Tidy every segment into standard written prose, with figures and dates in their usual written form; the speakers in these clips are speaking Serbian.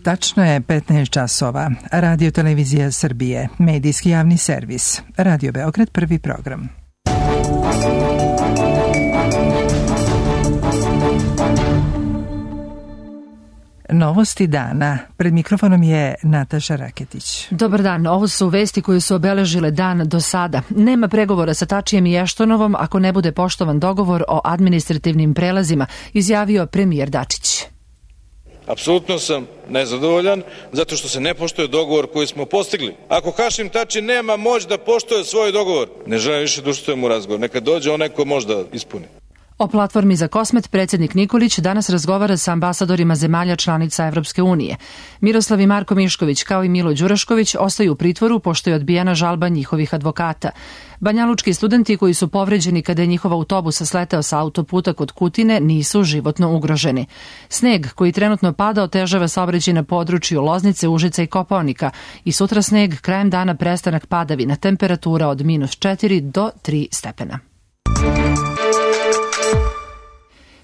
Tačno je 15 časova. Radio Televizija Srbije, medijski javni servis. Radio Beograd, prvi program. Novosti dana. Pred mikrofonom je Nataša Raketić. Dobar dan. Ovo su vesti koje su obeležile dan do sada. Nema pregovora sa Tačijem i Eštonovom ako ne bude poštovan dogovor o administrativnim prelazima, izjavio premijer Dačić. Apsolutno sam nezadovoljan zato što se ne poštuje dogovor koji smo postigli. Ako Hašim Tači nema moć da poštuje svoj dogovor, ne želim više da učestvujem u razgovor. Neka dođe onaj ko može da ispuni. O platformi za Kosmet predsjednik Nikolić danas razgovara sa ambasadorima zemalja članica Evropske unije. Miroslav i Marko Mišković kao i Milo Đurašković ostaju u pritvoru pošto je odbijena žalba njihovih advokata. Banjalučki studenti koji su povređeni kada je njihov autobus sleteo sa autoputa kod Kutine nisu životno ugroženi. Sneg koji trenutno pada otežava saobraćaj na području Loznice, Užica i Kopaonika i sutra sneg, krajem dana prestanak padavina, temperatura od -4 do 3 stepena.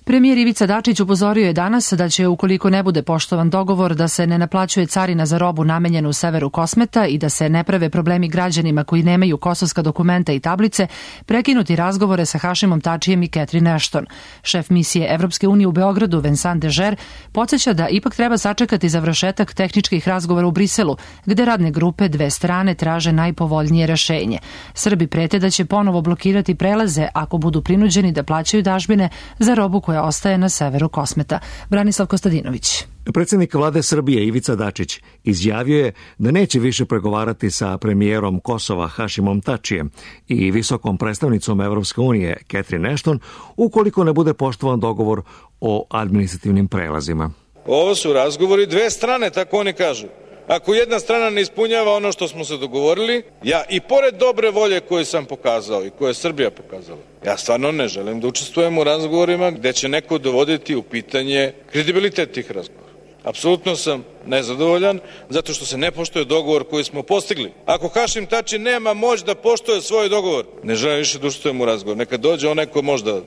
Premijer Ivica Dačić upozorio je danas da će, ukoliko ne bude poštovan dogovor da se ne naplaćuje carina za robu namenjenu u severu Kosmeta i da se ne prave problemi građanima koji nemaju kosovska dokumenta i tablice, prekinuti razgovore sa Hašimom Tačijem i Catherine Ashton. Šef misije Evropske unije u Beogradu, Vincent Dežer, podsjeća da ipak treba sačekati završetak tehničkih razgovora u Briselu, gde radne grupe dve strane traže najpovoljnije rešenje. Srbi prete da će ponovo blokirati prelaze ako budu prinuđeni da plaćaju dažbine za robu koja ostaje na severu Kosmeta. Branislav Kostadinović. Predsjednik vlade Srbije Ivica Dačić izjavio je da neće više pregovarati sa premijerom Kosova Hašimom Tačijem i visokom predstavnicom Evropske unije Catherine Ashton ukoliko ne bude poštovan dogovor o administrativnim prelazima. Ovo su razgovori dve strane, tako oni kažu. Ako jedna strana ne ispunjava ono što smo se dogovorili, ja i pored dobre volje koju sam pokazao i koju je Srbija pokazala, ja stvarno ne želim da učestvujem u razgovorima gde će neko dovoditi u pitanje kredibilitet tih razgovora. Apsolutno sam nezadovoljan zato što se ne poštuje dogovor koji smo postigli. Ako Hašim Tači nema moć da poštuje svoj dogovor, ne želim više da učestvujem u razgovor. Neka dođe onaj ko može da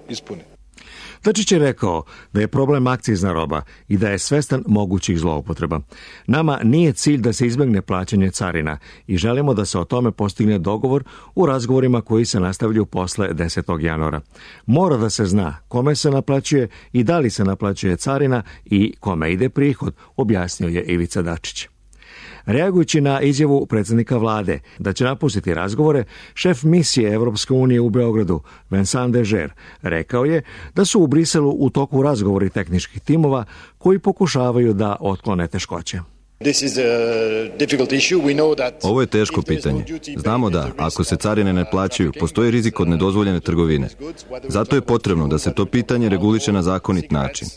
ispuni. Dačić je rekao da je problem akcizna roba i da je svestan mogućih zloupotreba. Nama nije cilj da se izbegne plaćanje carina i želimo da se o tome postigne dogovor u razgovorima koji se nastavljaju posle 10. januara. Mora da se zna kome se naplaćuje i da li se naplaćuje carina i kome ide prihod, objasnio je Ivica Dačić. Reagujući na izjavu predsjednika vlade da će napustiti razgovore, šef misije Evropske unije u Beogradu, Vincent Dežer, rekao je da su u Briselu u toku razgovori tehničkih timova koji pokušavaju da otklone teškoće. Ovo je teško pitanje. Znamo da, ako se carine ne plaćaju, postoji rizik od nedozvoljene trgovine. Zato je potrebno da se to pitanje reguliše na zakonit način.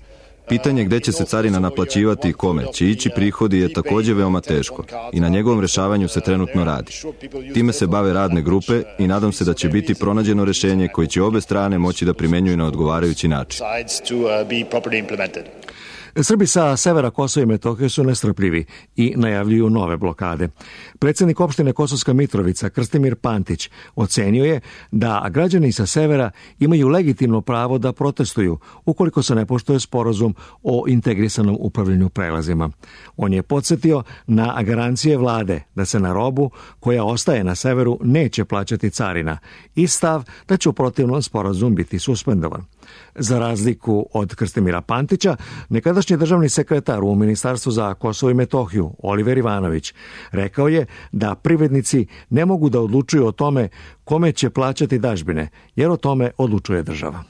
Pitanje gde će se carina naplaćivati i kome će ići prihodi je također veoma teško i na njegovom rešavanju se trenutno radi. Time se bave radne grupe i nadam se da će biti pronađeno rešenje koje će obe strane moći da primenjuju na odgovarajući način. Srbi sa severa Kosova i Metohije su nestrpljivi i najavljuju nove blokade. Predsjednik opštine Kosovska Mitrovica, Krstimir Pantić, ocenio je da građani sa severa imaju legitimno pravo da protestuju ukoliko se ne poštuje sporazum o integrisanom upravljanju prelazima. On je podsjetio na garancije vlade da se na robu koja ostaje na severu neće plaćati carina i stav da će u protivnom sporazum biti suspendovan. Za razliku od Krstimira Pantića, nekadašnji državni sekretar u Ministarstvu za Kosovo i Metohiju, Oliver Ivanović, rekao je da privrednici ne mogu da odlučuju o tome kome će plaćati dažbine, jer o tome odlučuje država.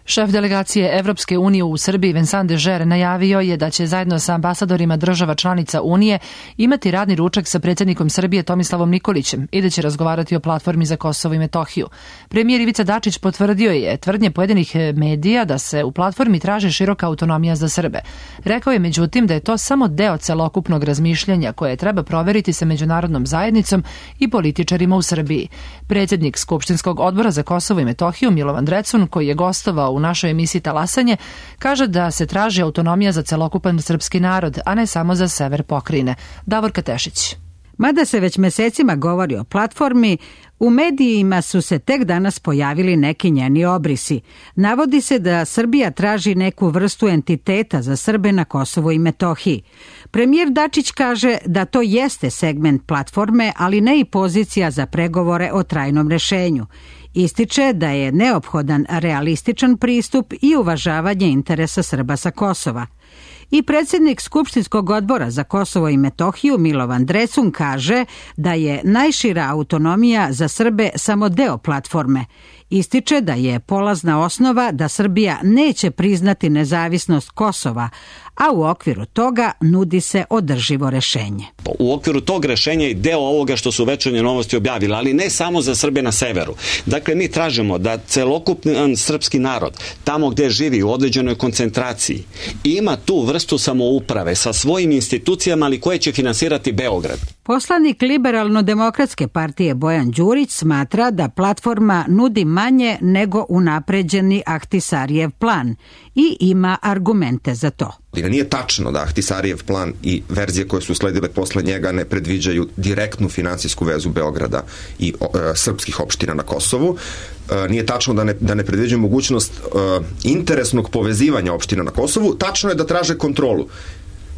Šef delegacije Evropske unije u Srbiji Vincent Dežer najavio je da će zajedno sa ambasadorima država članica Unije imati radni ručak sa predsjednikom Srbije Tomislavom Nikolićem i da će razgovarati o platformi za Kosovo i Metohiju. Premijer Ivica Dačić potvrdio je tvrdnje pojedinih medija da se u platformi traži široka autonomija za Srbe. Rekao je međutim da je to samo deo celokupnog razmišljanja koje treba proveriti sa međunarodnom zajednicom i političarima u Srbiji. Predsjednik Skupštinskog odbora za Kosovo i Metohiju Milovan Drecun, koji je gostovao u našoj emisiji Talasanje, kaže da se traži autonomija za celokupan srpski narod, a ne samo za sever pokrajine. Davorka Tešić. Mada se već mesecima govori o platformi, u medijima su se tek danas pojavili neki njeni obrisi. Navodi se da Srbija traži neku vrstu entiteta za Srbe na Kosovu i Metohiji. Premijer Dačić kaže da to jeste segment platforme, ali ne i pozicija za pregovore o trajnom rešenju. Ističe da je neophodan realističan pristup i uvažavanje interesa Srba sa Kosova. I predsjednik Skupštinskog odbora za Kosovo i Metohiju Milovan Drecun kaže da je najšira autonomija za Srbe samo deo platforme. Ističe da je polazna osnova da Srbija neće priznati nezavisnost Kosova, a u okviru toga nudi se održivo rešenje. U okviru tog rešenja i deo ovoga što su Večernje novosti objavili, ali ne samo za Srbe na severu. Dakle, mi tražimo da celokupan srpski narod, tamo gde živi u određenoj koncentraciji, ima tu vrstu samouprave sa svojim institucijama, ali koje će finansirati Beograd. Poslanik Liberalno-demokratske partije Bojan Đurić smatra da platforma nudi manje nego unapređeni Ahtisarijev plan i ima argumente za to. Nije tačno da Ahtisarijev plan i verzije koje su sledile posle njega ne predviđaju direktnu finansijsku vezu Beograda i srpskih opština na Kosovu. Nije tačno da ne predviđaju mogućnost interesnog povezivanja opština na Kosovu. Tačno je da traže kontrolu.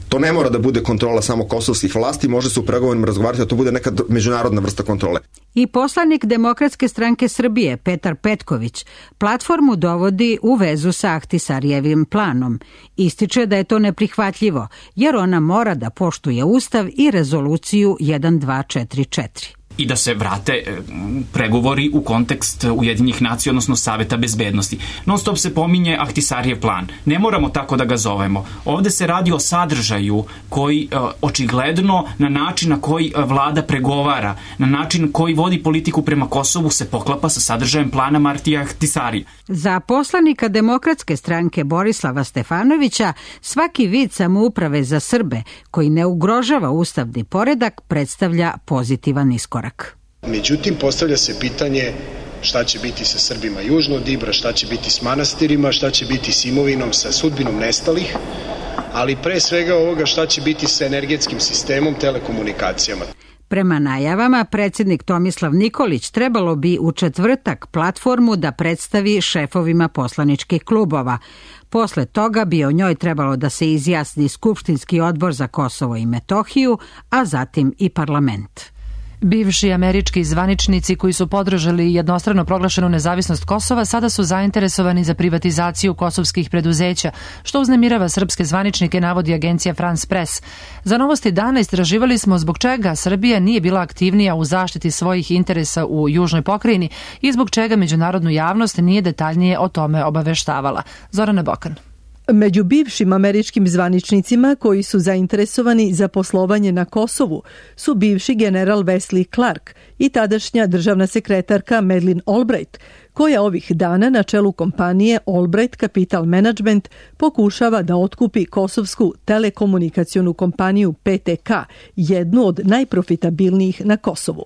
To ne mora da bude kontrola samo kosovskih vlasti, može se u pregovorima razgovarati da to bude neka međunarodna vrsta kontrole. I poslanik Demokratske stranke Srbije Petar Petković platformu dovodi u vezu sa Ahtisarijevim planom. Ističe da je to neprihvatljivo, jer ona mora da poštuje Ustav i rezoluciju 1244. I da se vrate pregovori u kontekst Ujedinjenih nacija, odnosno Saveta bezbednosti. Non stop se pominje Ahtisarijev plan. Ne moramo tako da ga zovemo. Ovde se radi o sadržaju koji očigledno na način na koji vlada pregovara, na način koji vodi politiku prema Kosovu se poklapa sa sadržajem plana Martija Ahtisarija. Za poslanika Demokratske stranke Borislava Stefanovića svaki vid samouprave za Srbe koji ne ugrožava ustavni poredak predstavlja pozitivan iskorak. Međutim, postavlja se pitanje šta će biti sa Srbima južno od Ibra, šta će biti s manastirima, šta će biti s imovinom, sa sudbinom nestalih, ali pre svega ovoga šta će biti sa energetskim sistemom, telekomunikacijama. Prema najavama, predsjednik Tomislav Nikolić trebalo bi u četvrtak platformu da predstavi šefovima poslaničkih klubova. Posle toga bi o njoj trebalo da se izjasni Skupštinski odbor za Kosovo i Metohiju, a zatim i parlament. Bivši američki zvaničnici koji su podržali jednostrano proglašenu nezavisnost Kosova sada su zainteresovani za privatizaciju kosovskih preduzeća, što uznemirava srpske zvaničnike, navodi agencija France Press. Za Novosti dana istraživali smo zbog čega Srbija nije bila aktivnija u zaštiti svojih interesa u južnoj pokrajini i zbog čega međunarodnu javnost nije detaljnije o tome obaveštavala. Zorana Bokan. Među bivšim američkim zvaničnicima koji su zainteresovani za poslovanje na Kosovu su bivši general Wesley Clark i tadašnja državna sekretarka Madeleine Albright, koja ovih dana na čelu kompanije Albright Capital Management pokušava da otkupi kosovsku telekomunikacionu kompaniju PTK, jednu od najprofitabilnijih na Kosovu.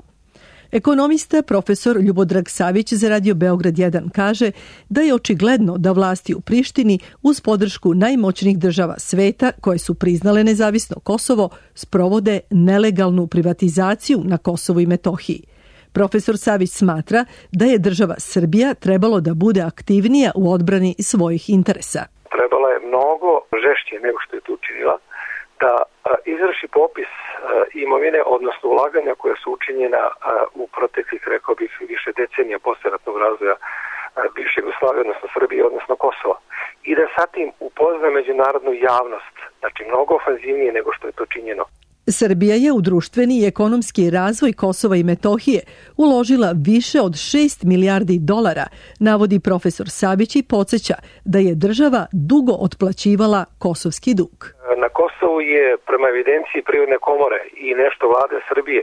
Ekonomista profesor Ljubodrag Savić za Radio Beograd 1 kaže da je očigledno da vlasti u Prištini uz podršku najmoćnijih država sveta koje su priznale nezavisno Kosovo sprovode nelegalnu privatizaciju na Kosovu i Metohiji. Profesor Savić smatra da je država Srbija trebalo da bude aktivnija u odbrani svojih interesa. Trebala je mnogo žešće nego što je to učinila da izvrši popis imovine, odnosno ulaganja koja su učinjena u proteklih, rekao bih, više decenija posleratnog razvoja bivše Jugoslavije, odnosno Srbije, odnosno Kosova. I da sa tim upozna međunarodnu javnost, znači mnogo ofanzivnije nego što je to činjeno. Srbija je u društveni i ekonomski razvoj Kosova i Metohije uložila više od 6 milijardi dolara, navodi profesor Savić i podsjeća da je država dugo otplaćivala kosovski dug. Na Kosovu je prema evidenciji Privredne komore i nešto vlade Srbije,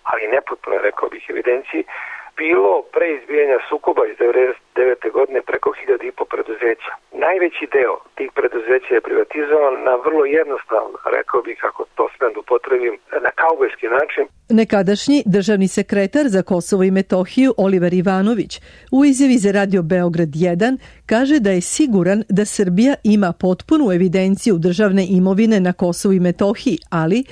ali nepotpuno, rekao bih, evidenciji, bilo pre izbijanja sukoba iz 1999. godine preko 1.500 preduzeća. Najveći deo tih preduzeća je privatizovan na vrlo jednostavan, rekao bih, ako to smem da upotrebim, na kaubojski način. Nekadašnji državni sekretar za Kosovo i Metohiju Oliver Ivanović u izjavi za Radio Beograd 1 kaže da je siguran da Srbija ima potpunu evidenciju državne imovine na Kosovu i Metohiji, ali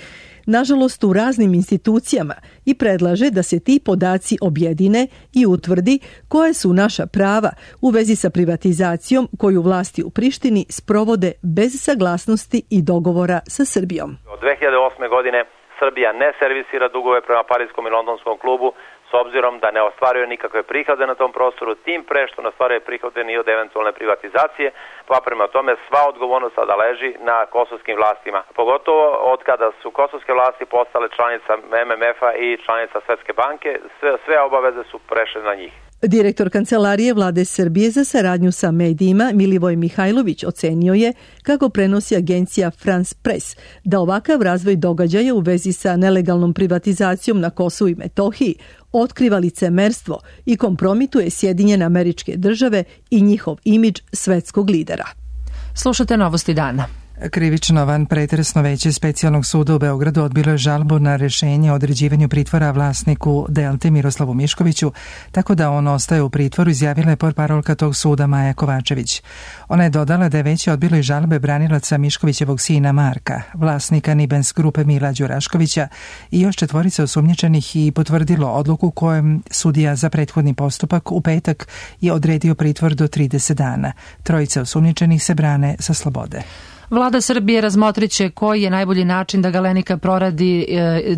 nažalost u raznim institucijama i predlaže da se ti podaci objedine i utvrdi koje su naša prava u vezi sa privatizacijom koju vlasti u Prištini sprovode bez saglasnosti i dogovora sa Srbijom. Od 2008. godine Srbija ne servisira dugove prema Pariskom i Londonskom klubu s obzirom da ne ostvaruje nikakve prihode na tom prostoru, tim pre što ne ostvaruje prihode ni od eventualne privatizacije, pa prema tome sva odgovornost sada leži na kosovskim vlastima. Pogotovo od kada su kosovske vlasti postale članica MMF-a i članica Svetske banke, sve obaveze su prešle na njih. Direktor Kancelarije Vlade Srbije za saradnju sa medijima Milivoj Mihajlović ocenio je, kako prenosi agencija France Press, da ovakav razvoj događaja u vezi sa nelegalnom privatizacijom na Kosovu i Metohiji otkriva licemerstvo i kompromituje Sjedinjene Američke Države i njihov imidž svetskog lidera. Slušate Novosti dana. Krivično van pretresno veće specijalnog suda u Beogradu odbilo je žalbu na rešenje o određivanju pritvora vlasniku Delte Miroslavu Miškoviću, tako da on ostaje u pritvoru, izjavila je portparolka tog suda Maja Kovačević. Ona je dodala da je već odbilo i žalbe branilaca Miškovićevog sina Marka, vlasnika Nibens grupe Mila Đuraškovića i još 4 osumnjičenih i potvrdilo odluku kojem sudija za prethodni postupak u petak je odredio pritvor do 30 dana. 3 osumnjičenih se brane sa slobode. Vlada Srbije razmotriće koji je najbolji način da Galenika proradi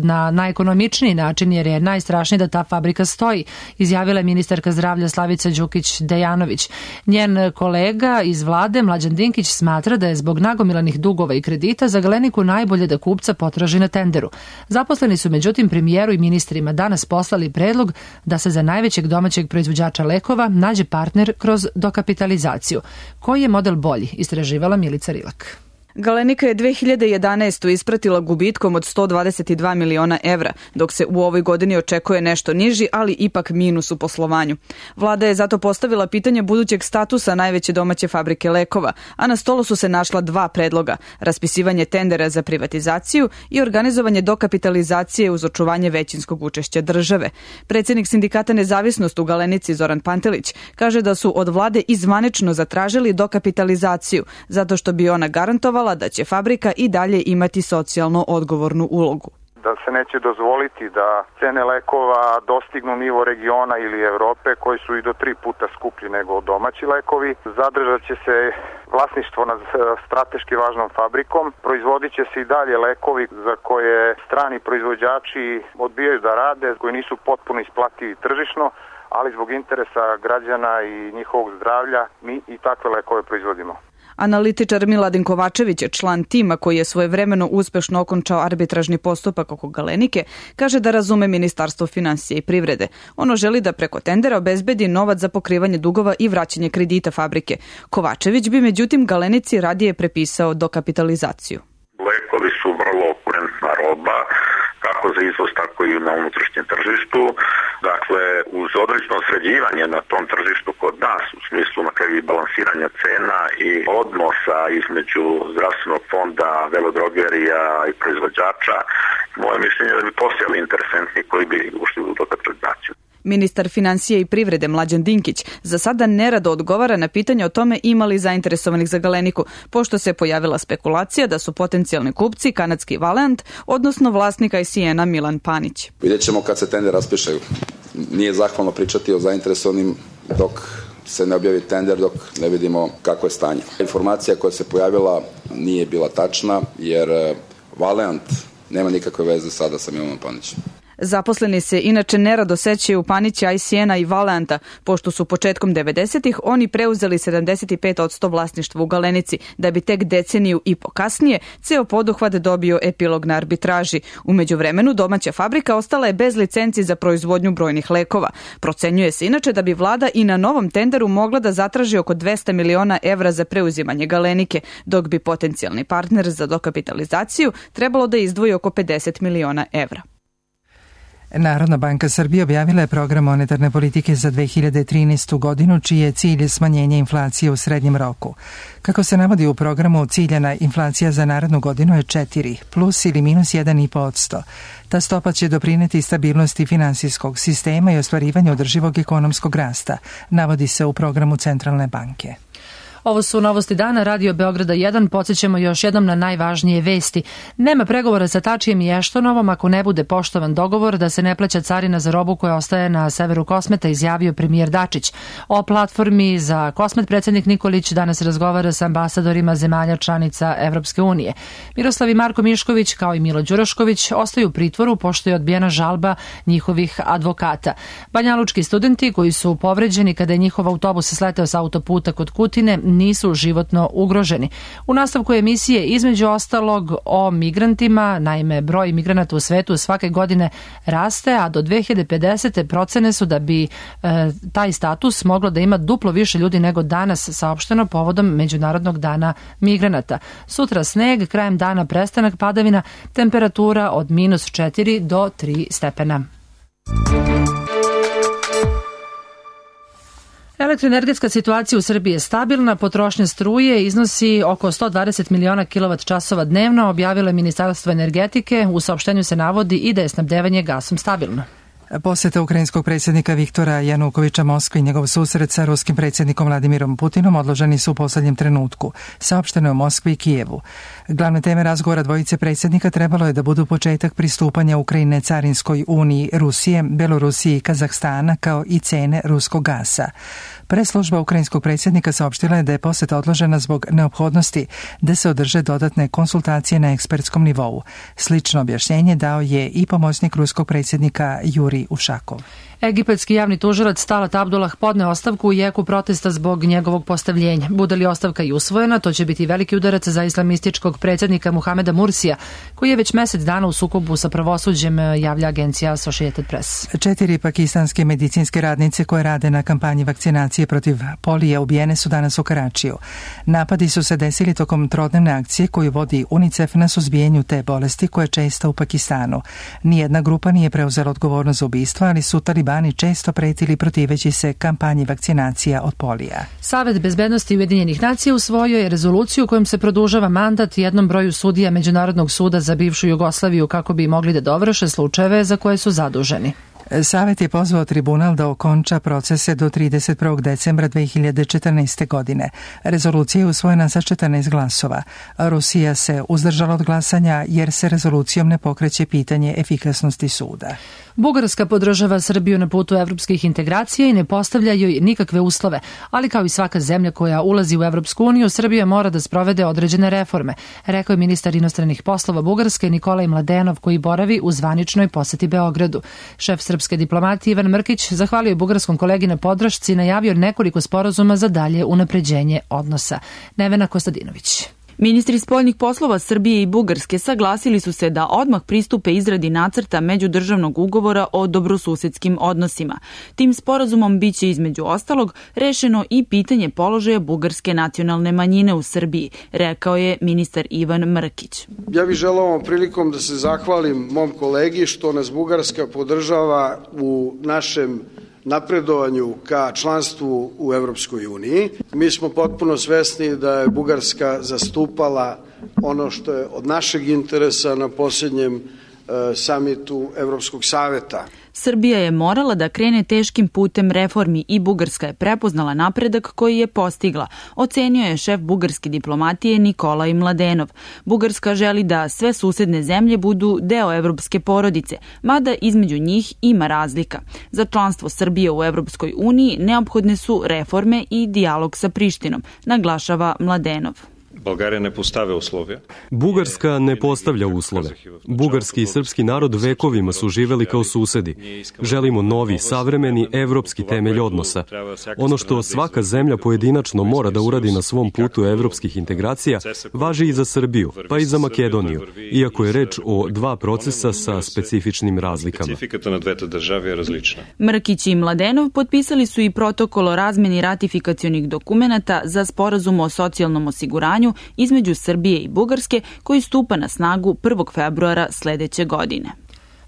na najekonomičniji način, jer je najstrašnije da ta fabrika stoji, izjavila je ministarka zdravlja Slavica Đukić-Dejanović. Njen kolega iz vlade, Mlađan Dinkić, smatra da je zbog nagomilanih dugova i kredita za Galeniku najbolje da kupca potraži na tenderu. Zaposleni su međutim premijeru i ministrima danas poslali predlog da se za najvećeg domaćeg proizvođača lekova nađe partner kroz dokapitalizaciju. Koji je model bolji, istraživala Milica Rilak. Galenika je 2011. ispratila gubitkom od 122 miliona evra, dok se u ovoj godini očekuje nešto niži, ali ipak minus u poslovanju. Vlada je zato postavila pitanje budućeg statusa najveće domaće fabrike lekova, a na stolu su se našla 2 predloga: raspisivanje tendera za privatizaciju i organizovanje dokapitalizacije uz očuvanje većinskog učešća države. Predsjednik sindikata Nezavisnost u Galenici Zoran Pantelić kaže da su od vlade izvanično zatražili dokapitalizaciju, zato što bi ona garantovala da će fabrika i dalje imati socijalno odgovornu ulogu. Da se neće dozvoliti da cene lekova dostignu nivo regiona ili Evrope, koji su i do 3 puta skuplji nego domaći lekovi. Zadržat će se vlasništvo nad strateški važnom fabrikom. Proizvodit će se i dalje lekovi za koje strani proizvođači odbijaju da rade, koji nisu potpuno isplativi tržišno, ali zbog interesa građana i njihovog zdravlja mi i takve lekove proizvodimo. Analitičar Miladin Kovačević, član tima koji je svojevremeno uspešno okončao arbitražni postupak oko Galenike, kaže da razume Ministarstvo finansija i privrede. Ono želi da preko tendera obezbedi novac za pokrivanje dugova i vraćanje kredita fabrike. Kovačević bi međutim Galenici radije prepisao dokapitalizaciju. Lekovi su vrlo okurentna roba, kako za izvoz, tako i na unutrašnjem tržištu. Dakle, uz određeno sređivanje na tom tržištu kod nas, u smislu na kraju balansiranja cena i odnosa između zdravstvenog fonda, velodrogerija i proizvođača, moje mišljenje je da bi postojali interesentni koji bi ušli u dokapitalizaciju. Ministar finansija i privrede Mlađan Dinkić za sada nerado odgovara na pitanje o tome ima li zainteresovanih za Galeniku, pošto se pojavila spekulacija da su potencijalni kupci kanadski Valeant, odnosno vlasnika ICN-a Milan Panić. Vidjet ćemo kad se tender raspiše. Nije zahvalno pričati o zainteresovanim dok se ne objavi tender, dok ne vidimo kako je stanje. Informacija koja se pojavila nije bila tačna, jer Valeant nema nikakve veze sada sa Milanom Panićem. Zaposleni se inače nerado sećaju Panića, ICN-a i Valeanta, pošto su početkom 90-ih oni preuzeli 75% vlasništva u Galenici, da bi tek deceniju i po kasnije ceo poduhvat dobio epilog na arbitraži. U međuvremenu domaća fabrika ostala je bez licenci za proizvodnju brojnih lekova. Procenjuje se inače da bi vlada i na novom tenderu mogla da zatraži oko 200 miliona evra za preuzimanje Galenike, dok bi potencijalni partner za dokapitalizaciju trebalo da izdvoji oko 50 miliona evra. Narodna banka Srbije objavila je program monetarne politike za 2013. godinu, čiji je cilj smanjenje inflacije u srednjem roku. Kako se navodi u programu, ciljana inflacija za narednu godinu je 4, plus ili minus 1,5%. Ta stopa će doprineti stabilnosti finansijskog sistema i ostvarivanju održivog ekonomskog rasta, navodi se u programu Centralne banke. Ovo su novosti dana, Radio Beograda 1. Podsjećamo još jednom na najvažnije vesti. Nema pregovora sa Tačijem i Eštonovom ako ne bude poštovan dogovor da se ne plaća carina za robu koja ostaje na severu Kosmeta, izjavio premijer Dačić. O platformi za Kosmet predsjednik Nikolić danas razgovara sa ambasadorima zemalja članica Evropske unije. Miroslav i Marko Mišković kao i Milo Đurašković ostaju u pritvoru pošto je odbijena žalba njihovih advokata. Banjalučki studenti koji su povređeni kada je njihov autobus sleteo sa autoputa kod Kutine nisu životno ugroženi. U nastavku emisije između ostalog o migrantima, naime broj migranata u svetu svake godine raste, a do 2050. procene su da bi taj status moglo da ima duplo više ljudi nego danas, saopšteno povodom Međunarodnog dana migranata. Sutra sneg, krajem dana prestanak padavina, temperatura od -4 do 3 stepena. Elektroenergetska situacija u Srbiji je stabilna, potrošnja struje iznosi oko 120 miliona kWh dnevno, objavilo je Ministarstvo energetike. U saopštenju se navodi i da je snabdevanje gasom stabilno. Poseta ukrajinskog predsjednika Viktora Janukovića Moskvi i njegov susret sa ruskim predsjednikom Vladimirom Putinom odloženi su u posljednjem trenutku, saopšteno je u Moskvi i Kijevu. Glavne teme razgovora dvojice predsjednika trebalo je da budu početak pristupanja Ukrajine Carinskoj uniji Rusije, Belorusije i Kazahstana, kao i cene ruskog gasa. Preslužba ukrajinskog predsjednika saopštila je da je poseta odložena zbog neophodnosti da se održe dodatne konsultacije na ekspertskom nivou. Slično objašnjenje dao je i pomoćnik ruskog predsjednika Jurij Ušakov. Egipatski javni tužilac Talat Abdullah podneo ostavku u jeku protesta zbog njegovog postavljenja. Bude li ostavka i usvojena, to će biti veliki udarac za islamističkog predsjednika Muhameda Mursija, koji je već mjesec dana u sukobu sa pravosuđem, javlja agencija Associated Press. 4 pakistanske medicinske radnice koje rade na kampanji vakcinacije protiv polije ubijene su danas u Karačiju. Napadi su se desili tokom trodnevne akcije koju vodi UNICEF na suzbijanju te bolesti koja je česta u Pakistanu. Nijedna grupa nije preuzela odgovornost za ubistva, ali su talibani često pretili protiveći se kampanji vakcinacija od polija. Savet bezbednosti Ujedinjenih nacija usvojio je rezoluciju kojom se produžava mandat jednom broju sudija Međunarodnog suda za bivšu Jugoslaviju kako bi mogli da dovrše slučajeve za koje su zaduženi. Savet je pozvao tribunal da okonča procese do 31. decembra 2014. godine. Rezolucija je usvojena sa 14 glasova. Rusija se uzdržala od glasanja jer se rezolucijom ne pokreće pitanje efikasnosti suda. Bugarska podržava Srbiju na putu evropskih integracija i ne postavlja joj nikakve uslove, ali kao i svaka zemlja koja ulazi u Evropsku uniju, Srbija mora da sprovede određene reforme, rekao je ministar inostranih poslova Bugarske Nikolaj Mladenov, koji boravi u zvaničnoj poseti Beogradu. Šef srpske diplomatije Ivan Mrkić zahvalio je bugarskom kolegi na podršci i najavio nekoliko sporazuma za dalje unapređenje odnosa. Nevena Kostadinović. Ministri spoljnih poslova Srbije i Bugarske saglasili su se da odmah pristupe izradi nacrta međudržavnog ugovora o dobrosusedskim odnosima. Tim sporazumom biće između ostalog rešeno i pitanje položaja bugarske nacionalne manjine u Srbiji, rekao je ministar Ivan Mrkić. Ja bih želeo ovom prilikom da se zahvalim mom kolegi što nas Bugarska podržava u našem napredovanju ka članstvu u Evropskoj uniji. Mi smo potpuno svesni da je Bugarska zastupala ono što je od našeg interesa na posljednjem samitu Evropskog saveta. Srbija je morala da krene teškim putem reformi i Bugarska je prepoznala napredak koji je postigla, ocenio je šef bugarske diplomatije Nikolaj Mladenov. Bugarska želi da sve susedne zemlje budu deo evropske porodice, mada između njih ima razlika. Za članstvo Srbije u Evropskoj uniji neophodne su reforme i dijalog sa Prištinom, naglašava Mladenov. Bugarska ne postavlja uslove. Bugarski i srpski narod vekovima su živeli kao susedi. Želimo novi, savremeni, evropski temelj odnosa. Ono što svaka zemlja pojedinačno mora da uradi na svom putu evropskih integracija, važi i za Srbiju, pa i za Makedoniju, iako je reč o dva procesa sa specifičnim razlikama. Mrkić i Mladenov potpisali su i protokol o razmeni ratifikacionih dokumenata za sporazum o socijalnom osiguranju između Srbije i Bugarske koji stupa na snagu 1. februara sledeće godine.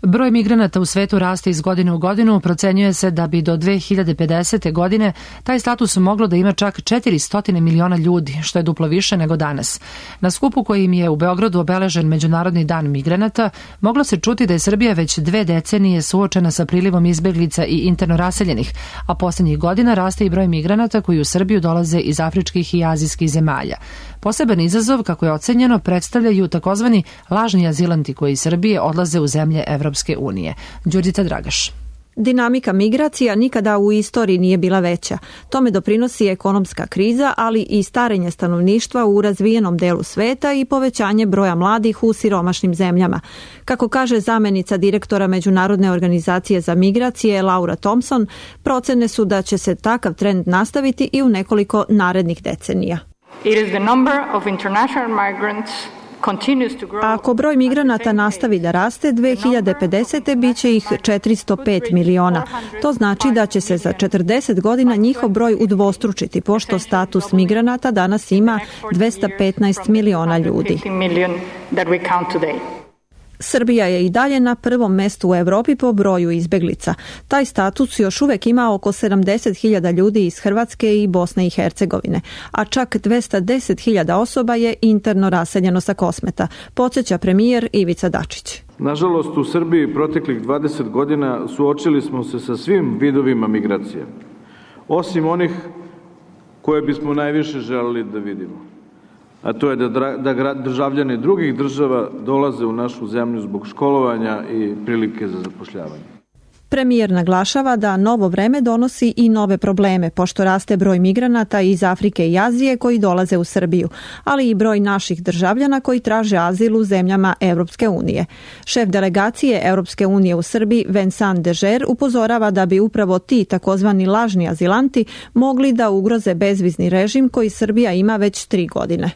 Broj migranata u svetu raste iz godine u godinu. Procenjuje se da bi do 2050. godine taj status moglo da ima čak 400 miliona ljudi, što je duplo više nego danas. Na skupu kojim je u Beogradu obeležen Međunarodni dan migranata, moglo se čuti da je Srbija već 2 decenije suočena sa prilivom izbeglica i interno raseljenih, a poslednjih godina raste i broj migranata koji u Srbiju dolaze iz afričkih i azijskih zemalja. Poseban izazov, kako je ocenjeno, predstavljaju takozvani lažni azilanti koji iz Srbije odlaze u zemlje Evropske unije. Đurđica Dragaš. Dinamika migracija nikada u istoriji nije bila veća. Tome doprinosi ekonomska kriza, ali i starenje stanovništva u razvijenom delu sveta i povećanje broja mladih u siromašnim zemljama. Kako kaže zamenica direktora Međunarodne organizacije za migracije Laura Thompson, procene su da će se takav trend nastaviti i u nekoliko narednih decenija. Ako broj migranata nastavi da raste, 2050. bit će ih 405 miliona. To znači da će se za 40 godina njihov broj udvostručiti, pošto status migranata danas ima 215 miliona ljudi. Srbija je i dalje na prvom mestu u Evropi po broju izbeglica. Taj status još uvek ima oko 70.000 ljudi iz Hrvatske i Bosne i Hercegovine, a čak 210.000 osoba je interno raseljeno sa Kosmeta, podsjeća premijer Ivica Dačić. Nažalost, u Srbiji proteklih 20 godina suočili smo se sa svim vidovima migracije, osim onih koje bismo najviše želeli da vidimo. A to je da državljani drugih država dolaze u našu zemlju zbog školovanja i prilike za zapošljavanje. Premijer naglašava da novo vreme donosi i nove probleme, pošto raste broj migranata iz Afrike i Azije koji dolaze u Srbiju, ali i broj naših državljana koji traže azil u zemljama Evropske unije. Šef delegacije Evropske unije u Srbiji, Vincent Dežer, upozorava da bi upravo ti takozvani lažni azilanti mogli da ugroze bezvizni režim koji Srbija ima već 3 godine.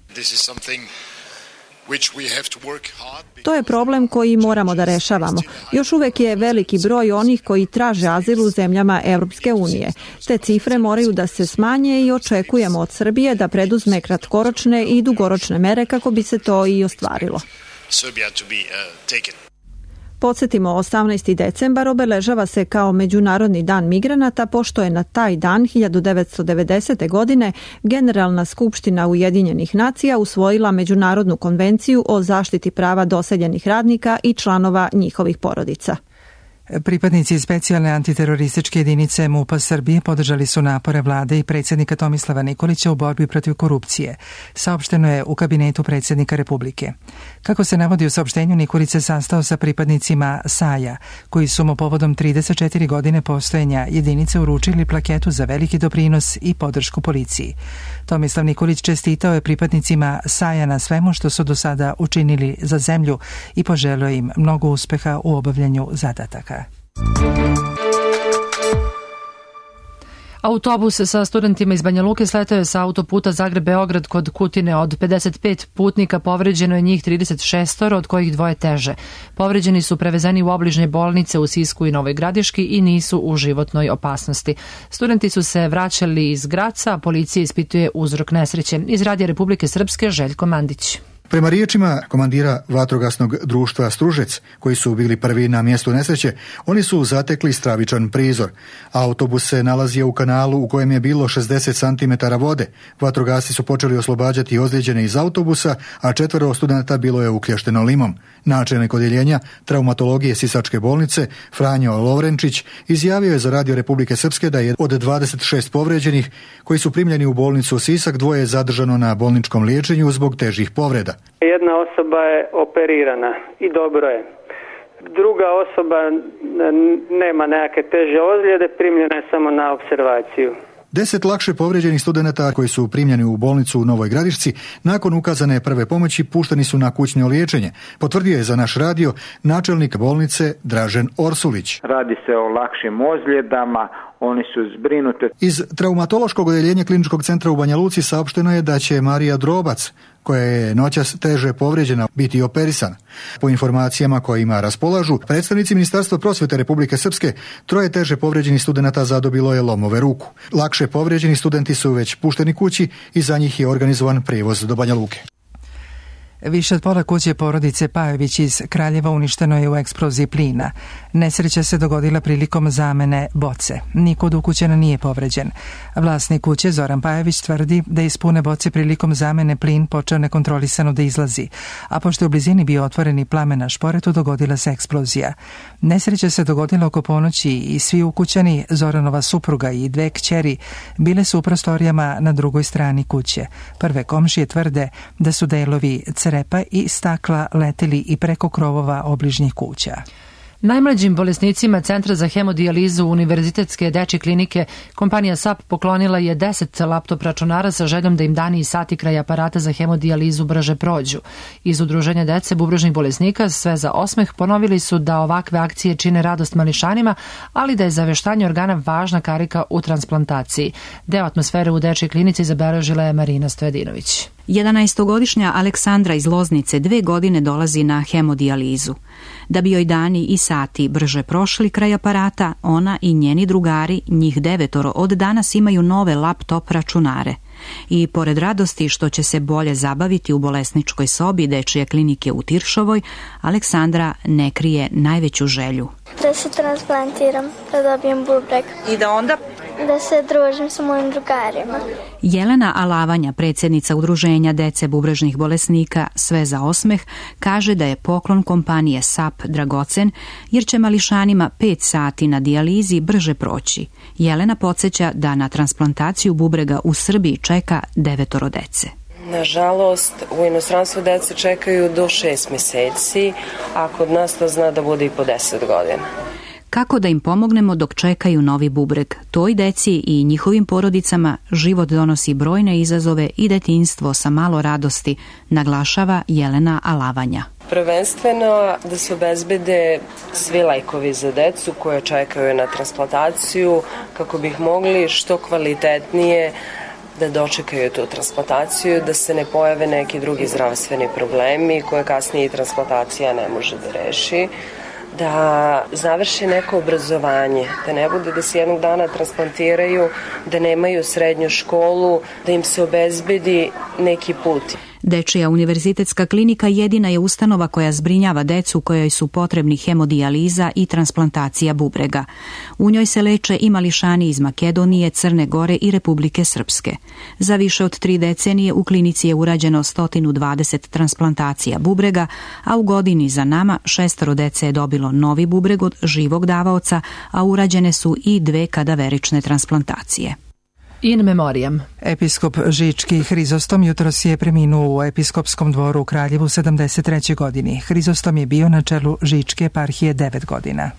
To je problem koji moramo da rešavamo. Još uvek je veliki broj onih koji traže azil u zemljama Evropske unije. Te cifre moraju da se smanje i očekujemo od Srbije da preduzme kratkoročne i dugoročne mere kako bi se to i ostvarilo. Podsjetimo, 18. decembar obeležava se kao Međunarodni dan migranata, pošto je na taj dan 1990. godine Generalna skupština Ujedinjenih nacija usvojila Međunarodnu konvenciju o zaštiti prava doseljenih radnika i članova njihovih porodica. Pripadnici specijalne antiterorističke jedinice MUP-a Srbije podržali su napore vlade i predsjednika Tomislava Nikolića u borbi protiv korupcije. Saopšteno je u kabinetu predsjednika Republike. Kako se navodi u saopštenju, Nikolić se sastao sa pripadnicima SAJ-a, koji su mu povodom 34 godine postojanja jedinice uručili plaketu za veliki doprinos i podršku policiji. Tomislav Nikolić čestitao je pripadnicima SAJ-a na svemu što su do sada učinili za zemlju i poželio im mnogo uspeha u obavljanju zadataka. Autobus sa studentima iz Banja Luke sletao je sa autoputa Zagreb-Beograd kod Kutine. Od 55 putnika povređeno je njih 36, od kojih 2 teže. Povređeni su prevezeni u obližnje bolnice u Sisku i Novoj Gradiški i nisu u životnoj opasnosti. Studenti su se vraćali iz Graca, a policija ispituje uzrok nesreće. Iz Radija Republike Srpske, Željko Mandić. Prema riječima komandira vatrogasnog društva Stružec, koji su bili prvi na mjestu nesreće, oni su zatekli stravičan prizor. Autobus se nalazio u kanalu u kojem je bilo 60 cm vode. Vatrogasci su počeli oslobađati ozlijeđene iz autobusa, a 4 studenata bilo je uklješteno limom. Načelnik odjeljenja traumatologije Sisačke bolnice, Franjo Lovrenčić, izjavio je za Radio Republike Srpske da je od 26 povređenih koji su primljeni u bolnicu Sisak, 2 je zadržano na bolničkom liječenju zbog težih povreda. Jedna osoba je operirana i dobro je. Druga osoba nema neke teže ozljede, primljena je samo na opservaciju. 10 lakše povrijeđenih studenata koji su primljeni u bolnicu u Novoj Gradišci nakon ukazane prve pomoći pušteni su na kućno liječenje. Potvrdio je za naš radio načelnik bolnice Dražen Orsulić. Radi se o lakšim ozljedama, oni su zbrinuti. Iz traumatološkog odjeljenja Kliničkog centra u Banja Luci saopšteno je da će Marija Drobac, koja je noćas teže povrijeđena, biti operisan. Po informacijama kojima raspolažu predstavnici Ministarstva prosvjete Republike Srpske, 3 teže povrijeđenih studenata zadobilo je lomove ruku. Lakše povrijeđeni studenti su već pušteni kući i za njih je organizovan prijevoz do Banja Luke. Više od pola kuće porodice Pajović iz Kraljeva uništeno je u eksploziji plina. Nesreća se dogodila prilikom zamene boce. Niko od ukućana nije povređen. Vlasnik kuće Zoran Pajović tvrdi da iz pune boce prilikom zamene plin počeo nekontrolisano da izlazi, a pošto je u blizini bio otvoren i plamen na šporetu, dogodila se eksplozija. Nesreća se dogodila oko ponoći i svi ukućani, Zoranova supruga i dve kćeri, bile su u prostorijama na drugoj strani kuće. Prve komšije tvrde da su delovi crepa i stakla leteli i preko krovova obližnjih kuća. Najmlađim bolesnicima Centra za hemodijalizu Univerzitetske dečje klinike kompanija SAP poklonila je 10 laptop računara sa željom da im dani i sati kraj aparata za hemodijalizu brže prođu. Iz Udruženja dece bubrežnih bolesnika Sve za osmeh ponovili su da ovakve akcije čine radost mališanima, ali da je zaveštanje organa važna karika u transplantaciji. Deo atmosfere u dečjoj klinici zabeležila je Marina Stojadinović. 11-godišnja Aleksandra iz Loznice 2 godine dolazi na hemodijalizu. Da bi joj dani i sati brže prošli kraj aparata, ona i njeni drugari, njih 9, od danas imaju nove laptop računare. I pored radosti što će se bolje zabaviti u bolesničkoj sobi dečje klinike u Tiršovoj, Aleksandra ne krije najveću želju. Da se transplantiram, da dobijem bubreg. I da onda? Da se družim sa mojim drugarima. Jelena Alavanja, predsjednica Udruženja dece bubrežnih bolesnika Sve za osmeh, kaže da je poklon kompanije SAP dragocen jer će mališanima 5 sati na dijalizi brže proći. Jelena podsjeća da na transplantaciju bubrega u Srbiji čeka 9 dece. Nažalost, u inostranstvu dece čekaju do 6 mjeseci, a kod nas to zna da bude i po 10 godina. Kako da im pomognemo dok čekaju novi bubreg? Toj deci i njihovim porodicama život donosi brojne izazove i detinjstvo sa malo radosti, naglašava Jelena Alavanja. Prvenstveno da se obezbede svi lajkovi za decu koje čekaju na transplantaciju kako bi ih mogli što kvalitetnije da dočekaju tu transplantaciju, da se ne pojave neki drugi zdravstveni problemi koje kasnije transplantacija ne može da reši, da završi neko obrazovanje, da ne bude da se jednog dana transplantiraju, da nemaju srednju školu, da im se obezbedi neki put. Dečija univerzitetska klinika jedina je ustanova koja zbrinjava decu kojoj su potrebni hemodijaliza i transplantacija bubrega. U njoj se leče i mališani iz Makedonije, Crne Gore i Republike Srpske. Za više od 3 decenije u klinici je urađeno 120 transplantacija bubrega, a u godini za nama 6 dece je dobilo novi bubreg od živog davaoca, a urađene su i 2 kadaverične transplantacije. In memoriam. Episkop Žički Hrizostom jutros je preminuo u episkopskom dvoru u Kraljevu 73. godini. Hrizostom je bio na čelu Žičke eparhije 9 godina.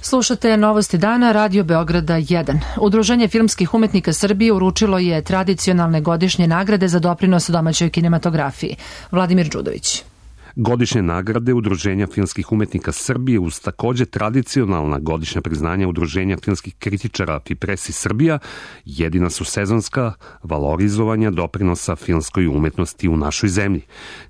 Slušate Novosti dana, Radio Beograda 1. Udruženje filmskih umetnika Srbije uručilo je tradicionalne godišnje nagrade za doprinos domaćoj kinematografiji. Vladimir Đudović. Godišnje nagrade Udruženja filmskih umetnika Srbije uz takođe tradicionalna godišnja priznanja Udruženja filmskih kritičara Fipresi Srbija jedina su sezonska valorizovanja doprinosa filmskoj umetnosti u našoj zemlji.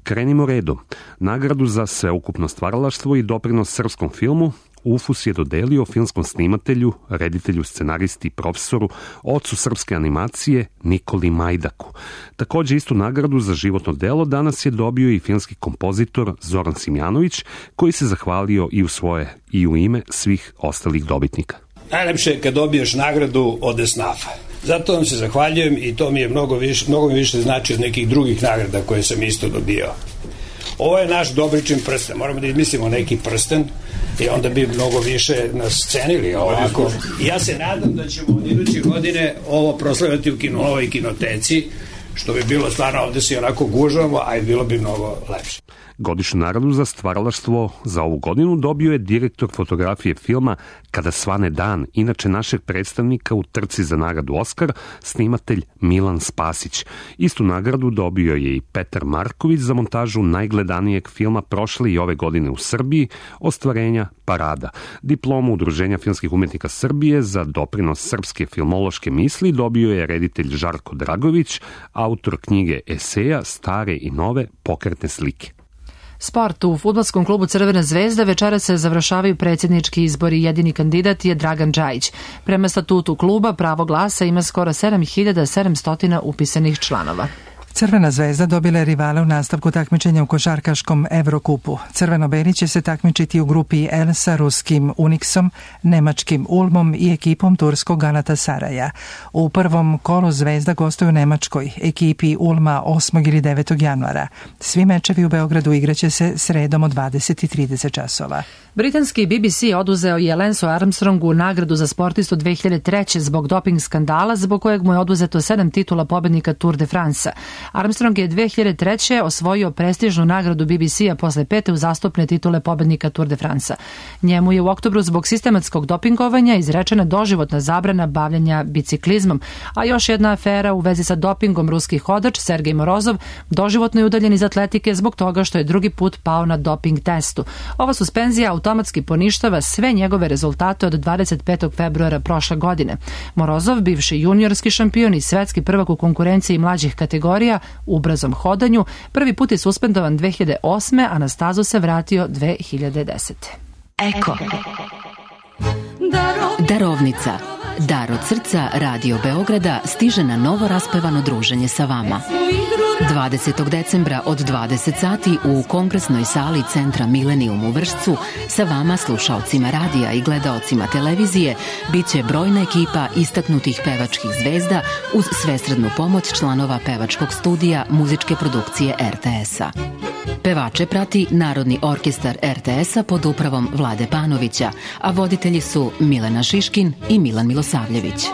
Krenimo redom. Nagradu za sveukupno stvaralaštvo i doprinos srpskom filmu UFUS je dodelio filmskom snimatelju, reditelju, scenaristi i profesoru, ocu srpske animacije Nikoli Majdaku. Takođe istu nagradu za životno delo danas je dobio i filmski kompozitor Zoran Simjanović, koji se zahvalio i u svoje i u ime svih ostalih dobitnika. Najlepše je kad dobiješ nagradu od esnafa. Zato vam se zahvaljujem i to mi je mnogo mi više znači od nekih drugih nagrada koje sam isto dobio. Ovo je naš Dobričin prsten, moramo da izmislimo neki prsten i onda bi mnogo više nas cenili ovako. I ja se nadam da ćemo od iduće godine ovo proslaviti u Novoj kinoteci, što bi bilo stvarno, ovde se onako gužvamo, a i bilo bi mnogo lepše. Godišnju nagradu za stvaralaštvo za ovu godinu dobio je direktor fotografije filma Kada svane dan, inače našeg predstavnika u trci za nagradu Oskar, snimatelj Milan Spasić. Istu nagradu dobio je i Petar Marković za montažu najgledanijeg filma prošle i ove godine u Srbiji, Ostvarenja Parada. Diplomu Udruženja filmskih umetnika Srbije za doprinos srpske filmološke misli dobio je reditelj Žarko Dragović, autor knjige eseja Stare i nove pokretne slike. Sport. U fudbalskom klubu Crvena zvezda večeras se završavaju predsjednički izbori. Jedini kandidat je Dragan Džajić. Prema statutu kluba pravo glasa ima skoro 7700 upisanih članova. Crvena zvezda dobila je rivale u nastavku takmičenja u košarkaškom Evrokupu. Crveno-beli će se takmičiti u grupi L sa ruskim Uniksom, nemačkim Ulmom i ekipom turskog Galatasaraja. U prvom kolu Zvezda gostuje u Nemačkoj, ekipi Ulma 8. ili 9. januara. Svi mečevi u Beogradu igraće se sredom od 20:30 časova. Britanski BBC oduzeo je Lancu Armstrongu nagradu za sportistu 2003. zbog doping skandala, zbog kojeg mu je oduzeto 7 titula pobednika Tour de France. Armstrong je 2003. osvojio prestižnu nagradu BBC-a posle 5. uzastopne titule pobednika Tour de France. Njemu je u oktobru zbog sistematskog dopingovanja izrečena doživotna zabrana bavljanja biciklizmom, a još jedna afera u vezi sa dopingom ruski hodač Sergej Morozov doživotno je udaljen iz atletike zbog toga što je drugi put pao na doping testu. Ova suspenzija automatski poništava sve njegove rezultate od 25. februara prošle godine. Morozov, bivši juniorski šampion i svetski prvak u konkurenciji mlađih kategorija u brzom hodanju, prvi put je suspendovan 2008. a na stazu se vratio 2010. Eko. Darovnica. Dar od srca Radio Beograda stiže na novo raspevano druženje sa vama. 20. decembra od 20 sati u kongresnoj sali Centra Milenijum u Vršcu sa vama, slušaocima radija i gledaocima televizije, bit će brojna ekipa istaknutih pevačkih zvezda uz svesrednu pomoć članova pevačkog studija muzičke produkcije RTS-a. Pevače prati Narodni orkestar RTS-a pod upravom Vlade Panovića, a voditelji su Milena Šiškin i Milan Milosavljević.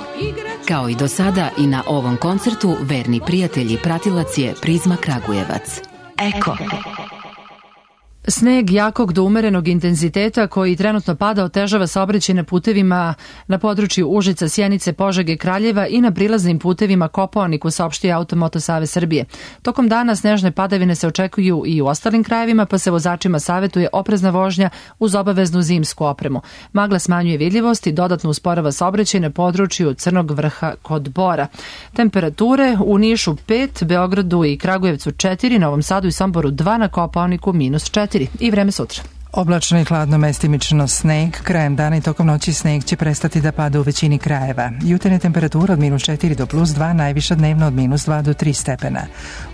Kao i do sada i na ovom koncertu verni prijatelj i pratilac je Prizma Kragujevac. Eko. Sneg jakog do umerenog intenziteta koji trenutno pada otežava saobraćaj na putevima na području Užica, Sjenice, Požege, Kraljeva i na prilaznim putevima Kopaoniku, saopštio Automoto Savez Srbije. Tokom dana snežne padavine se očekuju i u ostalim krajevima, pa se vozačima savetuje oprezna vožnja uz obaveznu zimsku opremu. Magla smanjuje vidljivost i dodatno usporava saobraćaj na području Crnog Vrha kod Bora. Temperature u Nišu 5, Beogradu i Kragujevcu 4, Novom Sadu i Somboru 2, na Kopaoniku -4. I vreme sutra. Oblačno i hladno, mestimično sneg. Krajem dana i tokom noći sneg će prestati da pada u većini krajeva. Jutarnja temperatura od -4 do +2, najviša dnevno od -2 do 3 stepena.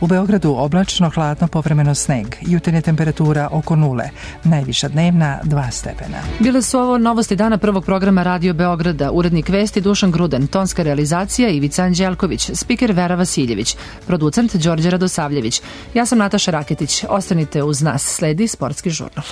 U Beogradu oblačno, hladno, povremeno sneg. Jutarnja temperatura oko 0, najviša dnevna 2 stepena. Bile su ovo novosti dana prvog programa Radio Beograda. Urednik vesti Dušan Grudan, tonska realizacija Ivica Anđelković, spiker Vera Vasiljević, producent Đorđe Radosavljević. Ja sam Nataša Raketić. Ostanite uz nas, sledi Sportski žurnal.